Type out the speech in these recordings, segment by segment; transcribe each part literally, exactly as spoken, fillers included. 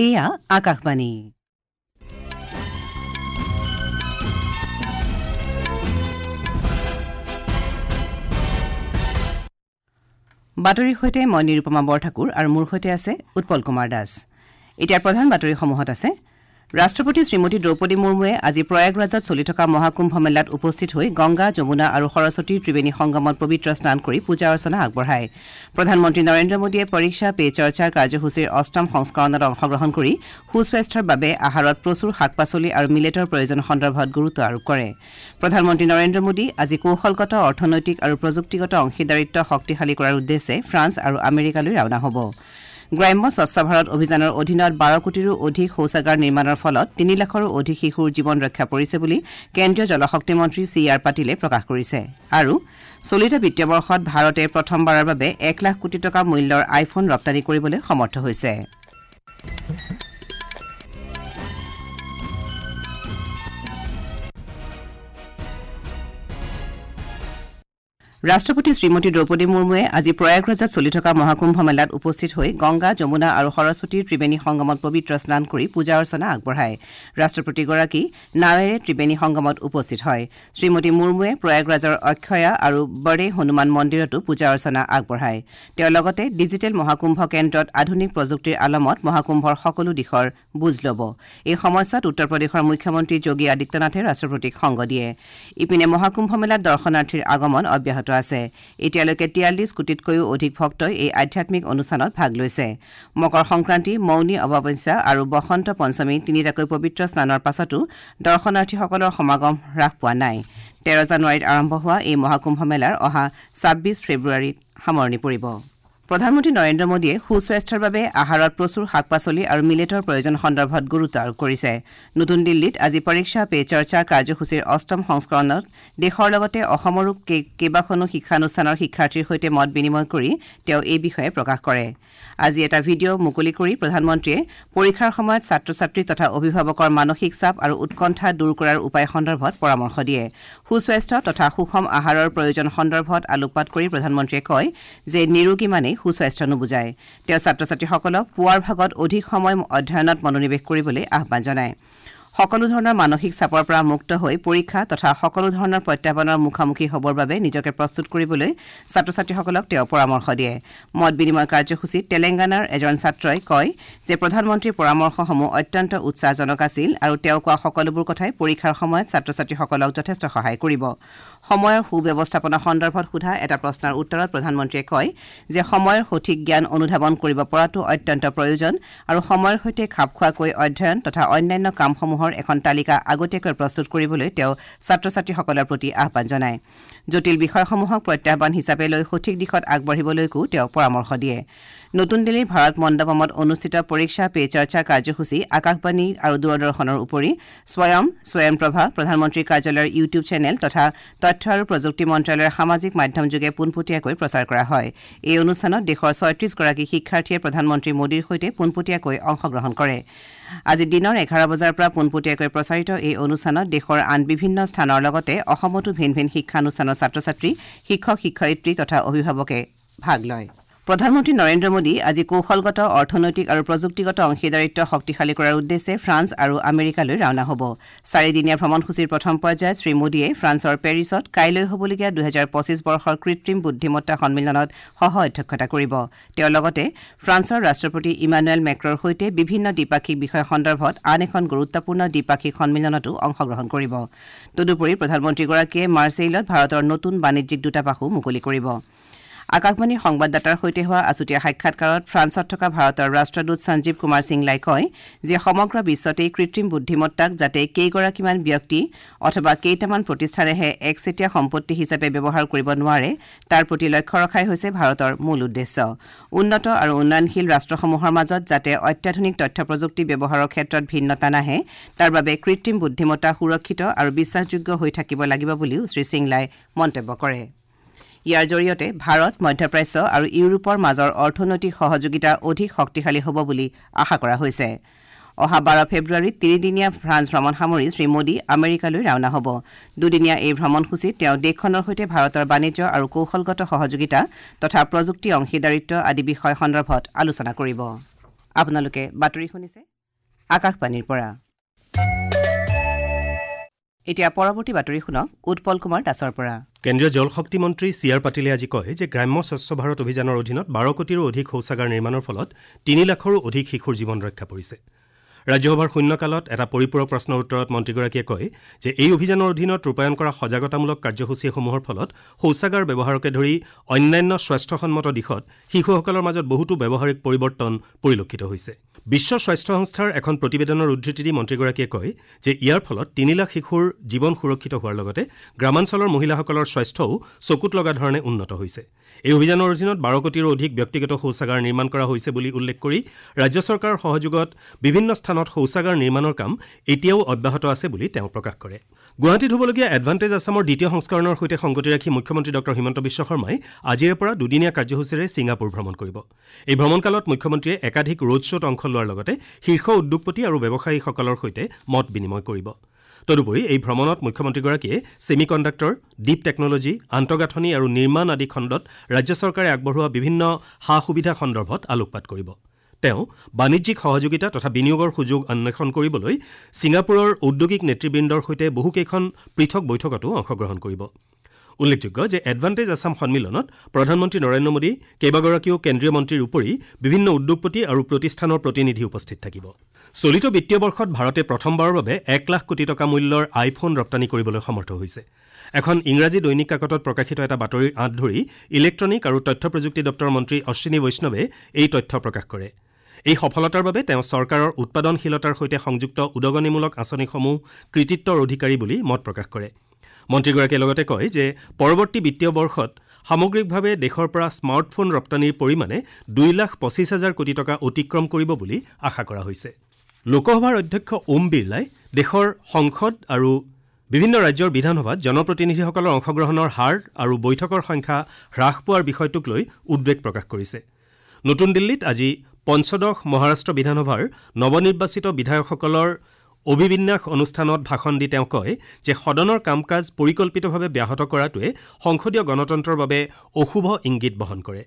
এয়া আকাশবাণী। বাতৰিৰ সৈতে মই নিৰুপমা বৰঠাকুৰ আৰু মোৰ সৈতে আছে উৎপল কুমাৰ দাস। এতিয়া প্ৰধান বাতৰিসমূহত আছে ৰাষ্ট্ৰপতি শ্ৰীমতী দ্ৰৌপদী মুৰ্মুৱে আজি প্ৰয়াগৰাজত চলি থকা মহাকুম্ভ মেলাত উপস্থিত হৈ গংগা, যমুনা আৰু সৰস্বতীৰ ত্ৰিবেণী সংগমত পবিত্ৰ স্নান কৰি পূজা অৰ্চনা আগবঢ়ায়। প্ৰধানমন্ত্ৰী নৰেন্দ্ৰ মোদীয়ে পৰীক্ষা পে চৰ্চাৰ কাৰ্যসূচীৰ অষ্টম সংস্কৰণত অংশগ্ৰহণ কৰি সুস্বাস্থ্যৰ বাবে আহাৰত প্ৰচুৰ শাক পাচলি আৰু মিলেটৰ প্ৰয়োজন সন্দৰ্ভত গুৰুত্ব আৰোপ কৰে। প্ৰধানমন্ত্ৰী নৰেন্দ্ৰ মোদী আজি কৌশলগত, অৰ্থনৈতিক আৰু প্ৰযুক্তিগত অংশীদাৰিত্ব শক্তিশালী কৰাৰ উদ্দেশ্যে ফ্ৰান্স আৰু আমেৰিকালৈ ৰাওনা হ'ব। গ্ৰাম্য স্বচ্ছ ভাৰত অভিযানৰ অধীনত বাৰ কোটিৰো অধিক শৌচাগাৰ নিৰ্মাণৰ ফলত তিনি লাখৰো অধিক শিশুৰ জীৱন ৰক্ষা পৰিছে বুলি কেন্দ্ৰীয় জলশক্তি মন্ত্ৰী চি আৰ পাটিলে প্ৰকাশ কৰিছে। আৰু চলিত বিত্তীয় বৰ্ষত ভাৰতে প্ৰথমবাৰৰ বাবে এক লাখ কোটি টকা মূল্যৰ আইফোন ৰপ্তানি কৰিবলৈ সমৰ্থ হৈছে। ৰাষ্ট্ৰপতি শ্ৰীমতী দ্ৰৌপদী মুৰ্মুৱে আজি প্ৰয়াগৰাজত চলি থকা মহাকুম্ভ মেলাত উপস্থিত হৈ গংগা, যমুনা আৰু সৰস্বতীৰ ত্ৰিবেণী সংগমত পবিত্ৰ স্নান কৰি পূজা অৰ্চনা আগবঢ়ায়। ৰাষ্ট্ৰপতিগৰাকী নাৱেৰে ত্ৰিবেণী সংগমত উপস্থিত হয়। শ্ৰীমতী মুৰ্মুৱে প্ৰয়াগৰাজৰ অক্ষয়া আৰু বড়ে হনুমান মন্দিৰতো পূজা অৰ্চনা আগবঢ়ায়। তেওঁ লগতে ডিজিটেল মহাকুম্ভ কেন্দ্ৰত আধুনিক প্ৰযুক্তিৰ আলমত মহাকুম্ভৰ সকলো দিশৰ বুজ ল'ব। এই সময়ছোৱাত উত্তৰ প্ৰদেশৰ মুখ্যমন্ত্ৰী যোগী আদিত্যনাথে ৰাষ্ট্ৰপতিক সংগ দিয়ে। ইপিনে মহাকুম্ভ মেলাত দৰ্শনাৰ্থীৰ আগমন অব্যাহত আছে। এতিয়ালৈকে তিয়াল্লিছ কোটিতকৈও অধিক ভক্তই এই আধ্যাত্মিক অনুষ্ঠানত ভাগ লৈছে। মকৰ সংক্ৰান্তি, মৌনী অমাৱস্যা আৰু বসন্ত পঞ্চমী তিনিটাকৈ পবিত্ৰ স্নানৰ পাছতো দৰ্শনাৰ্থীসকলৰ সমাগম হ্ৰাস পোৱা নাই। তেৰ জানুৱাৰীত আৰম্ভ হোৱা এই মহাকুম্ভ মেলাৰ অহা ছাব্বিছ ফেব্ৰুৱাৰীত সামৰণি পৰিব। প্ৰধানমন্ত্ৰী নৰেন্দ্ৰ মোদীয়ে সুস্বাস্থ্যৰ বাবে আহাৰত প্ৰচুৰ শাক পাচলি আৰু মিলেটৰ প্ৰয়োজন সন্দৰ্ভত গুৰুত্ব আৰোপ কৰিছে। নতুন দিল্লীত আজি পৰীক্ষা পে চৰ্চা কাৰ্যসূচীৰ অষ্টম সংস্কৰণত দেশৰ লগতে অসমৰো কেইবাখনো শিক্ষানুষ্ঠানৰ শিক্ষাৰ্থীৰ সৈতে মত বিনিময় কৰি তেওঁ এই বিষয়ে প্ৰকাশ কৰে। আজি এটা ভিডিঅ' মুকলি কৰি প্ৰধানমন্ত্ৰীয়ে পৰীক্ষাৰ সময়ত ছাত্ৰ ছাত্ৰী তথা অভিভাৱকৰ মানসিক চাপ আৰু উৎকণ্ঠা দূৰ কৰাৰ উপায় সন্দৰ্ভত পৰামৰ্শ দিয়ে। সুস্বাস্থ্য তথা সুষম আহাৰৰ প্ৰয়োজন সন্দৰ্ভত আলোকপাত কৰি প্ৰধানমন্ত্ৰীয়ে কয় যে নিৰোগী মানেই সুস্বাস্থ্য নুবুজায়। তেওঁ ছাত্ৰ ছাত্ৰীসকলক পুৱাৰ ভাগত অধিক সময় অধ্যয়নত মনোনিৱেশ কৰিবলৈ আহ্বান জনায়। সকলো ধৰণৰ মানসিক চাপৰ পৰা মুক্ত হৈ পৰীক্ষা তথা সকলো ধৰণৰ প্ৰত্যাহ্বানৰ মুখামুখি হ'বৰ বাবে নিজকে প্ৰস্তুত কৰিবলৈ ছাত্ৰ ছাত্ৰীসকলক তেওঁ পৰামৰ্শ দিয়ে। মত বিনিময় কাৰ্যসূচীত তেলেংগানাৰ এজন ছাত্ৰই কয় যে প্ৰধানমন্ত্ৰীৰ পৰামৰ্শসমূহ অত্যন্ত উৎসাহজনক আছিল আৰু তেওঁ কোৱা সকলোবোৰ কথাই পৰীক্ষাৰ সময়ত ছাত্ৰ ছাত্ৰীসকলক যথেষ্ট সহায় কৰিব। সময়ৰ সুব্যৱস্থাপনা সন্দৰ্ভত সোধা এটা প্ৰশ্নৰ উত্তৰত প্ৰধানমন্ত্ৰীয়ে কয় যে সময়ৰ সঠিক জ্ঞান অনুধাৱন কৰিব পৰাটো অত্যন্ত প্ৰয়োজন আৰু সময়ৰ সৈতে খাপ খোৱাকৈ অধ্যয়ন তথা অন্যান্য কামসমূহৰ এখন তালিকা আগতীয়াকৈ প্ৰস্তুত কৰিবলৈ তেওঁ ছাত্ৰ ছাত্ৰীসকলৰ প্ৰতি আহ্বান জনায়। জটিল বিষয়সমূহক প্ৰত্যাহ্বান হিচাপে লৈ সঠিক দিশত আগবাঢ়িবলৈকো তেওঁ পৰামৰ্শ দিয়ে। নতুন দিল্লীৰ ভাৰত মণ্ডপমত অনুষ্ঠিত পৰীক্ষা পে চৰ্চা কাৰ্যসূচী আকাশবাণী আৰু দূৰদৰ্শনৰ উপৰি স্বয়ং, স্বয়ংপ্ৰভা, প্ৰধানমন্ত্ৰীৰ কাৰ্যালয়ৰ ইউটিউব চেনেল তথা তথ্য আৰু প্ৰযুক্তি মন্ত্ৰালয়ৰ সামাজিক মাধ্যমযোগে পোনপটীয়াকৈ প্ৰচাৰ কৰা হয়। এই অনুষ্ঠানত দেশৰ ছয়ত্ৰিছগৰাকী শিক্ষাৰ্থীয়ে প্ৰধানমন্ত্ৰী মোদীৰ সৈতে পোনপটীয়াকৈ অংশগ্ৰহণ কৰে। আজি দিনৰ এঘাৰ বজাৰ পৰা পোনপটীয়াকৈ প্ৰচাৰিত এই অনুষ্ঠানত দেশৰ আন বিভিন্ন স্থানৰ লগতে অসমতো ভিন ভিন শিক্ষানুষ্ঠানৰ ছাত্ৰ ছাত্ৰী, শিক্ষক শিক্ষয়িত্ৰী তথা অভিভাৱকে ভাগ লয়। প্ৰধানমন্ত্ৰী নৰেন্দ্ৰ মোদী আজি কৌশলগত, অৰ্থনৈতিক আৰু প্ৰযুক্তিগত অংশীদাৰিত্ব শক্তিশালী কৰাৰ উদ্দেশ্যে ফ্ৰান্স আৰু আমেৰিকালৈ ৰাওনা হ'ব। চাৰিদিনীয়া ভ্ৰমণসূচীৰ প্ৰথম পৰ্যায়ত শ্ৰীমোদীয়ে ফ্ৰান্সৰ পেৰিছত কাইলৈ হ'বলগীয়া দুহেজাৰ পঁচিছ বৰ্ষৰ কৃত্ৰিম বুদ্ধিমত্তা সন্মিলনত সহ অধ্যক্ষতা কৰিব। তেওঁ লগতে ফ্ৰান্সৰ ৰাষ্ট্ৰপতি ইমানুৱেল মেক্ৰৰ সৈতে বিভিন্ন দ্বিপাক্ষিক বিষয় সন্দৰ্ভত আন এখন গুৰুত্বপূৰ্ণ দ্বিপাক্ষিক সন্মিলনতো অংশগ্ৰহণ কৰিব। তদুপৰি প্ৰধানমন্ত্ৰীগৰাকীয়ে মাৰ্চেইলত ভাৰতৰ নতুন বাণিজ্যিক দূতাবাসো মুকলি কৰিব। আকাশবাণীৰ সংবাদদাতাৰ সৈতে হোৱা আছুতীয়া সাক্ষাৎকাৰত ফ্ৰান্সত থকা ভাৰতৰ ৰাষ্ট্ৰদূত সঞ্জীৱ কুমাৰ সিংলাই কয় যে সমগ্ৰ বিশ্বতেই কৃত্ৰিম বুদ্ধিমত্তাক যাতে কেইগৰাকীমান ব্যক্তি অথবা কেইটামান প্ৰতিষ্ঠানেহে একচেটীয়া সম্পত্তি হিচাপে ব্যৱহাৰ কৰিব নোৱাৰে তাৰ প্ৰতি লক্ষ্য ৰখাই হৈছে ভাৰতৰ মূল উদ্দেশ্য। উন্নত আৰু উন্নয়নশীল ৰাষ্ট্ৰসমূহৰ মাজত যাতে অত্যাধুনিক তথ্য প্ৰযুক্তি ব্যৱহাৰৰ ক্ষেত্ৰত ভিন্নতা নাহে তাৰ বাবে কৃত্ৰিম বুদ্ধিমত্তা সুৰক্ষিত আৰু বিশ্বাসযোগ্য হৈ থাকিব লাগিব বুলিও শ্ৰীসিংলাই মন্তব্য কৰে। ইয়াৰ জৰিয়তে ভাৰত, মধ্যপ্ৰাচ্য আৰু ইউৰোপৰ মাজৰ অৰ্থনৈতিক সহযোগিতা অধিক শক্তিশালী হ'ব বুলি আশা কৰা হৈছে। অহা বাৰ ফেব্ৰুৱাৰীত তিনিদিনীয়া ফ্ৰান্স ভ্ৰমণ সামৰি শ্ৰীমোদী আমেৰিকালৈ ৰাওনা হ'ব। দুদিনীয়া এই ভ্ৰমণসূচীত তেওঁ দেশখনৰ সৈতে ভাৰতৰ বাণিজ্য আৰু কৌশলগত সহযোগিতা তথা প্ৰযুক্তি অংশীদাৰিত্ব আদি বিষয় সন্দৰ্ভত আলোচনা কৰিব। আপোনালোকে বাতৰি শুনিছে আকাশবাণীৰ পৰা। এতিয়া পৰৱৰ্তী বাতৰি শুনক উৎপল কুমাৰ দাসৰ পৰা। কেন্দ্ৰীয় জল শক্তি মন্ত্ৰী চি আৰ পাটিলে আজি কয় যে গ্ৰাম্য স্বচ্ছ ভাৰত অভিযানৰ অধীনত বাৰ কোটিৰো অধিক শৌচাগাৰ নিৰ্মাণৰ ফলত তিনি লাখৰো অধিক শিশুৰ জীৱন ৰক্ষা পৰিছে। ৰাজ্যসভাৰ শূন্যকালত এটা পৰিপূৰক প্ৰশ্নৰ উত্তৰত মন্ত্ৰীগৰাকীয়ে কয় যে এই অভিযানৰ অধীনত ৰূপায়ণ কৰা সজাগতামূলক কাৰ্যসূচীসমূহৰ ফলত শৌচাগাৰ ব্যৱহাৰকে ধৰি অন্যান্য স্বাস্থ্যসন্মত দিশত শিশুসকলৰ মাজত বহুতো ব্যৱহাৰিক পৰিৱৰ্তন পৰিলক্ষিত হৈছে। বিশ্ব স্বাস্থ্য সংস্থাৰ এখন প্ৰতিবেদনৰ উদ্ধৃতি দি মন্ত্ৰীগৰাকীয়ে কয় যে ইয়াৰ ফলত তিনি লাখ শিশুৰ জীৱন সুৰক্ষিত হোৱাৰ লগতে গ্ৰামাঞ্চলৰ মহিলাসকলৰ স্বাস্থ্যও চকুত লগা ধৰণে উন্নত হৈছে। এই অভিযানৰ অধীনত বাৰ কোটিৰো অধিক ব্যক্তিগত শৌচাগাৰ নিৰ্মাণ কৰা হৈছে বুলি উল্লেখ কৰি ৰাজ্য চৰকাৰৰ সহযোগত বিভিন্ন স্থানত শৌচাগাৰ নিৰ্মাণৰ কাম এতিয়াও অব্যাহত আছে বুলি তেওঁ প্ৰকাশ কৰে। গুৱাহাটীত হ'বলগীয়া এডভান্টেজ আছামৰ দ্বিতীয় সংস্কৰণৰ সৈতে সংগতি ৰাখি মুখ্যমন্ত্ৰী ডক্টৰ হিমন্ত বিশ্ব শৰ্মাই আজিৰে পৰা দুদিনীয়া কাৰ্যসূচীৰে ছিংগাপুৰ ভ্ৰমণ কৰিব। এই ভ্ৰমণকালত মুখ্যমন্ত্ৰীয়ে একাধিক ৰোড শ্ব'ত অংশ লোৱাৰ লগতে শীৰ্ষ উদ্যোগপতি আৰু ব্যৱসায়ীসকলৰ সৈতে মত বিনিময় কৰিব। তদুপৰি এই ভ্ৰমণত মুখ্যমন্ত্ৰীগৰাকীয়ে ছেমি কণ্ডাক্টৰ, ডিপ টেকনলজি, আন্তঃগাঁথনি আৰু নিৰ্মাণ আদি খণ্ডত ৰাজ্য চৰকাৰে আগবঢ়োৱা বিভিন্ন সা সুবিধা সন্দৰ্ভত আলোকপাত কৰিব। তেওঁ বাণিজ্যিক সহযোগিতা তথা বিনিয়োগৰ সুযোগ অন্বেষণ কৰিবলৈ ছিংগাপুৰৰ ঔদ্যোগিক নেতৃবৃন্দৰ সৈতে বহুকেইখন পৃথক বৈঠকতো অংশগ্ৰহণ কৰিব। উল্লেখযোগ্য যে এডভান্টেজ আছাম সন্মিলনত প্ৰধানমন্ত্ৰী নৰেন্দ্ৰ মোদী, কেইবাগৰাকীও কেন্দ্ৰীয় মন্ত্ৰীৰ উপৰি বিভিন্ন উদ্যোগপতি আৰু প্ৰতিষ্ঠানৰ প্ৰতিনিধি উপস্থিত থাকিব। চলিত বিত্তীয় বৰ্ষত ভাৰতে প্ৰথমবাৰৰ বাবে এক লাখ কোটি টকা মূল্যৰ আইফোন ৰপ্তানি কৰিবলৈ সমৰ্থ হৈছে। এখন ইংৰাজী দৈনিক কাকতত প্ৰকাশিত এটা বাতৰিৰ আঁত ধৰি ইলেক্ট্ৰনিক আৰু তথ্য প্ৰযুক্তি দপ্তৰৰ মন্ত্ৰী অশ্বিনী বৈষ্ণৱে এই তথ্য প্ৰকাশ কৰে। এই সফলতাৰ বাবে তেওঁ চৰকাৰৰ উৎপাদনশীলতাৰ সৈতে সংযুক্ত উদগনিমূলক আঁচনিসমূহ কৃতিত্বৰ অধিকাৰী বুলি মত প্ৰকাশ কৰে। মন্ত্ৰীগৰাকীয়ে লগতে কয় যে পৰৱৰ্তী বিত্তীয় বৰ্ষত সামগ্ৰিকভাৱে দেশৰ পৰা স্মাৰ্টফোন ৰপ্তানিৰ পৰিমাণে দুই লাখ পঁচিছ হাজাৰ কোটি টকা অতিক্ৰম কৰিব বুলি আশা কৰা হৈছে। লোকসভাৰ অধ্যক্ষ ওম বিৰলাই দেশৰ সংসদ আৰু বিভিন্ন ৰাজ্যৰ বিধানসভাত জনপ্ৰতিনিধিসকলৰ অংশগ্ৰহণৰ হাৰ আৰু বৈঠকৰ সংখ্যা হ্ৰাস পোৱাৰ বিষয়টোক লৈ উদ্বেগ প্ৰকাশ কৰিছে। নতুন দিল্লীত আজি পঞ্চদশ মহাৰাষ্ট্ৰ বিধানসভাৰ নৱনিৰ্বাচিত বিধায়কসকলৰ অভিবিন্যাস অনুষ্ঠানত ভাষণ দি তেওঁ কয় যে সদনৰ কাম কাজ পৰিকল্পিতভাৱে ব্যাহত কৰাটোৱে সংসদীয় গণতন্ত্ৰৰ বাবে অশুভ ইংগিত বহন কৰে।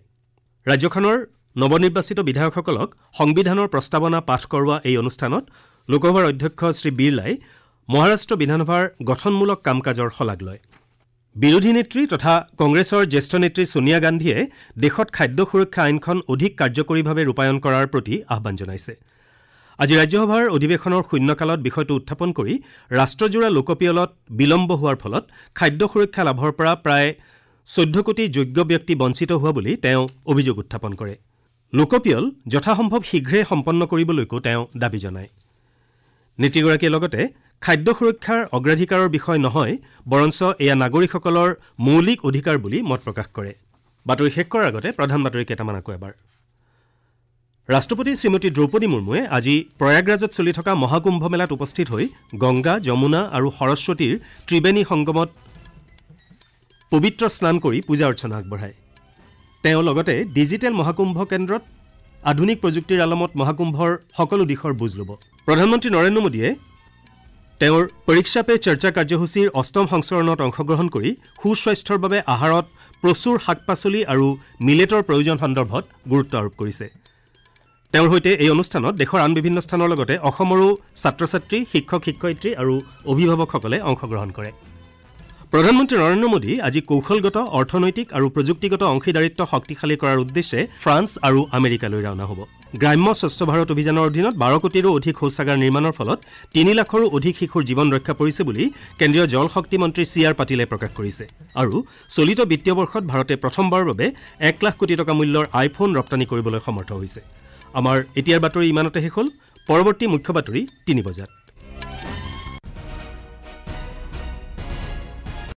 ৰাজ্যখনৰ নৱনিৰ্বাচিত বিধায়কসকলক সংবিধানৰ প্ৰস্তাৱনা পাঠ কৰোৱা এই অনুষ্ঠানত লোকসভাৰ অধ্যক্ষ শ্ৰী বিৰলাই মহাৰাষ্ট্ৰ বিধানসভাৰ গঠনমূলক কাম কাজৰ শলাগ লয়। বিৰোধী নেত্ৰী তথা কংগ্ৰেছৰ জ্যেষ্ঠ নেত্ৰী ছোনিয়া গান্ধীয়ে দেশত খাদ্য সুৰক্ষা আইনখন অধিক কাৰ্যকৰীভাৱে ৰূপায়ণ কৰাৰ প্ৰতি আহ্বান জনাইছে। আজি ৰাজ্যসভাৰ অধিৱেশনৰ শূন্যকালত বিষয়টো উত্থাপন কৰি ৰাষ্ট্ৰজোৰা লোকপিয়লত বিলম্ব হোৱাৰ ফলত খাদ্য সুৰক্ষা লাভৰ পৰা প্ৰায় চৈধ্য কোটি যোগ্য ব্যক্তি বঞ্চিত হোৱা বুলি তেওঁ অভিযোগ উত্থাপন কৰে। লোকপিয়ল যথাসম্ভৱ শীঘ্ৰে সম্পন্ন কৰিবলৈকো তেওঁ দাবী জনায়। নেত্ৰীগৰাকীয়ে লগতে খাদ্য সুৰক্ষাৰ অগ্ৰাধিকাৰৰ বিষয় নহয়, বৰঞ্চ এয়া নাগৰিকসকলৰ মৌলিক অধিকাৰ বুলি মত প্ৰকাশ কৰে। বাতৰি শেষ কৰাৰ আগতে প্ৰধান বাতৰি কেইটামান আকৌ এবাৰ। ৰাষ্ট্ৰপতি শ্ৰীমতী দ্ৰৌপদী মুৰ্মুৱে আজি প্ৰয়াগৰাজত চলি থকা মহাকুম্ভ মেলাত উপস্থিত হৈ গংগা, যমুনা আৰু সৰস্বতীৰ ত্ৰিবেণী সংগমত পবিত্ৰ স্নান কৰি পূজা অৰ্চনা আগবঢ়ায়। তেওঁ লগতে ডিজিটেল মহাকুম্ভ কেন্দ্ৰত আধুনিক প্ৰযুক্তিৰ আলমত মহাকুম্ভৰ সকলো দিশৰ বুজ ল'ব। প্ৰধানমন্ত্ৰী নৰেন্দ্ৰ মোদীয়ে তেওঁৰ পৰীক্ষা পে চৰ্চা কাৰ্যসূচীৰ অষ্টম সংস্কৰণত অংশগ্ৰহণ কৰি সুস্বাস্থ্যৰ বাবে আহাৰত প্ৰচুৰ শাক পাচলি আৰু মিলেটৰ প্ৰয়োজন সন্দৰ্ভত গুৰুত্ব আৰোপ কৰিছে। তেওঁৰ সৈতে এই অনুষ্ঠানত দেশৰ আন বিভিন্ন স্থানৰ লগতে অসমৰো ছাত্ৰ ছাত্ৰী, শিক্ষক শিক্ষয়িত্ৰী আৰু অভিভাৱকসকলে অংশগ্ৰহণ কৰে। প্ৰধানমন্ত্ৰী নৰেন্দ্ৰ মোদী আজি কৌশলগত, অৰ্থনৈতিক আৰু প্ৰযুক্তিগত অংশীদাৰিত্ব শক্তিশালী কৰাৰ উদ্দেশ্যে ফ্ৰান্স আৰু আমেৰিকালৈ ৰাওনা হ'ব। গ্ৰাম্য স্বচ্ছ ভাৰত অভিযানৰ অধীনত বাৰ কোটিৰো অধিক শৌচাগাৰ নিৰ্মাণৰ ফলত তিনি লাখৰো অধিক শিশুৰ জীৱন ৰক্ষা পৰিছে বুলি কেন্দ্ৰীয় জল শক্তি মন্ত্ৰী চি আৰ পাটিলে প্ৰকাশ কৰিছে। আৰু চলিত বিত্তীয় বৰ্ষত ভাৰতে প্ৰথমবাৰৰ বাবে এক লাখ কোটি টকা মূল্যৰ আইফোন ৰপ্তানি কৰিবলৈ সমৰ্থ হৈছে। আমাৰ এতিয়াৰ বাতৰি ইমানতে শেষ হ'ল। পৰৱৰ্তী মুখ্য বাতৰি তিনি বজাত।